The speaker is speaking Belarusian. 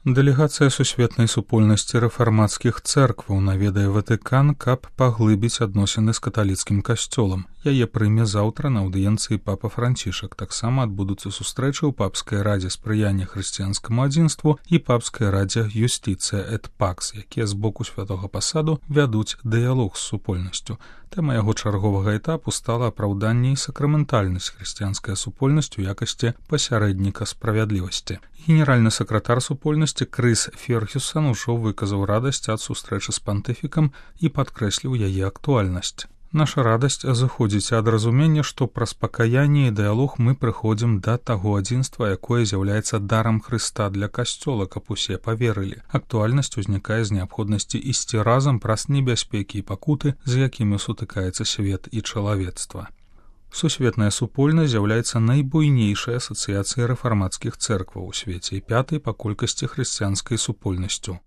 Дэлегацыя сусветнай супольнасці рэфармацкіх цэркваў наведае Ватыкан, каб паглыбіць адносіны з каталіцкім касцёлам. Яе прыме заўтра на аўдыенцыі папа Францішак. Таксама адбудуцца сустрэчы ў папскай радзе спрыяння хрысціянскаму адзінству і папскай радзе Юстицыя эт Пакс, якія з боку святога пасаду вядуць дыялог з супольнасцю. Тэма яго чарговага этапу стала апраўданне і сакраментальнасць хрысціянскай супольнасці ў якасці пасярэдніка справядлівасці. Генеральны сакратар супольнасці Крыс Фергюсон ужо выказаў радасць ад сустрэчы з пантыфікам і падкрэсліў яе актуальнасць. Наша радасць зыходзіць ад разумення, што праз пакаянне і дыялог мы прыходзім да таго адзінства, якое з'яўляецца дарам Хрыста для касцёла, каб усе паверылі. Актуальнасць узнікае з неабходнасці ісці разам праз небяспекі і пакуты, з якімі сутыкаецца свет і чалавецтва. Сусветная супольнасць з'яўляецца найбуйнейшай асацыяцыяй рэфармацкіх цэркваў у свеце і пятай па колькасці хрысціянскай супольнасцю.